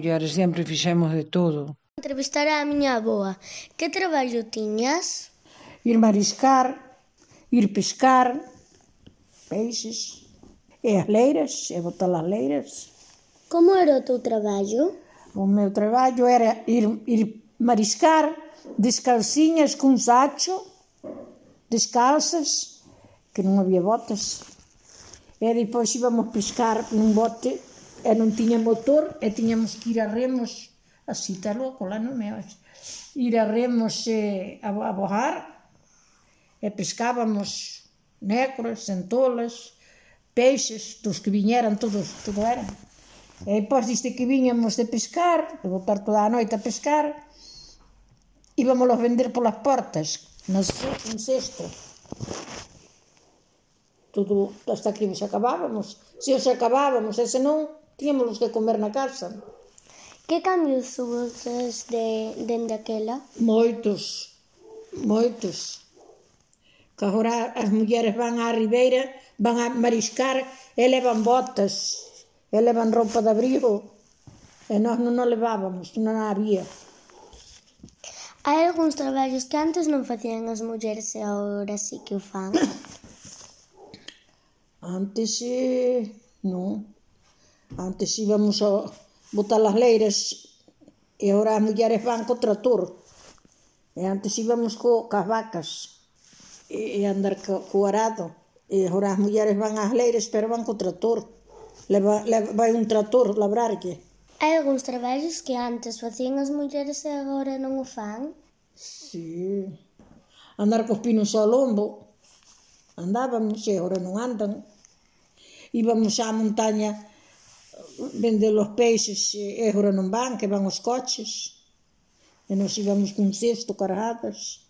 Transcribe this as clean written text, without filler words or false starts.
mulleres sempre fixemos de todo. Entrevistar a miña avoa. Que traballo tiñas? Ir mariscar, ir pescar, peixes, e as leiras, e botar as leiras. Como era o teu traballo? O meu traballo era ir mariscar descalciñas cun sacho, descalzas, que non había botas. E depois íbamos pescar nun bote e non tiña motor e tiñamos que ir a remos, así está loco, lá non me ois, ir a remos a bojar e pescábamos nécoras, centolas, peixes, dos que viñeran todos, todo era. E depois diste que viñamos de pescar, de botar toda a noite a pescar, íbamolos vender polas portas, un cesto. Todo, hasta que os acabábamos. Se os acabábamos, e senón, tiñamos que comer na casa. Que cambios subes dende aquela? Moitos. Que agora as mulleres van á ribeira, van a mariscar e levan botas, e levan roupa de abrigo, e nós non o levábamos, non había. Hai algúns traballos que antes non facían as mulleres e agora sí que o fan? Antes, non. Antes íbamos a botar as leiras e agora as mulleres van co trator. E antes íbamos cas vacas e andar co arado. E agora as mulleres van ás leiras pero van co trator. Vai un trator labrarlle. Hai algúns traballos que antes facían as mulleres e agora non o fan? Sí. Andar cos pinos ao lombo. Andábamos e agora non andan. Íbamos á montaña vender os peixes e agora non van, que van os coches. E nos íbamos cun cesto cargadas.